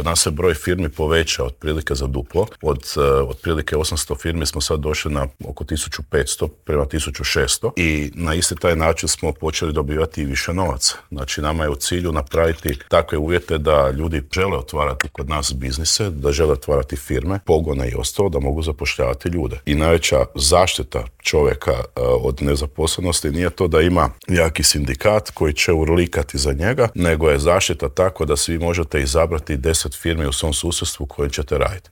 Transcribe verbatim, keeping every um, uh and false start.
Kod nas se broj firmi poveća otprilike za duplo. Od uh, otprilike osamsto firmi smo sad došli na oko tisuću petsto prema tisuću šesto i na isti taj način smo počeli dobivati i više novaca. Znači nama je u cilju napraviti takve uvjete da ljudi žele otvarati kod nas biznise, da žele otvarati firme, pogone i ostalo, da mogu zapošljavati ljude. I najveća zaštita čovjeka uh, od nezaposlenosti nije to da ima jaki sindikat koji će urlikati za njega, nego je zaštita tako da svi možete izabrati deset firmi u svom susjedstvu koje ćete raditi.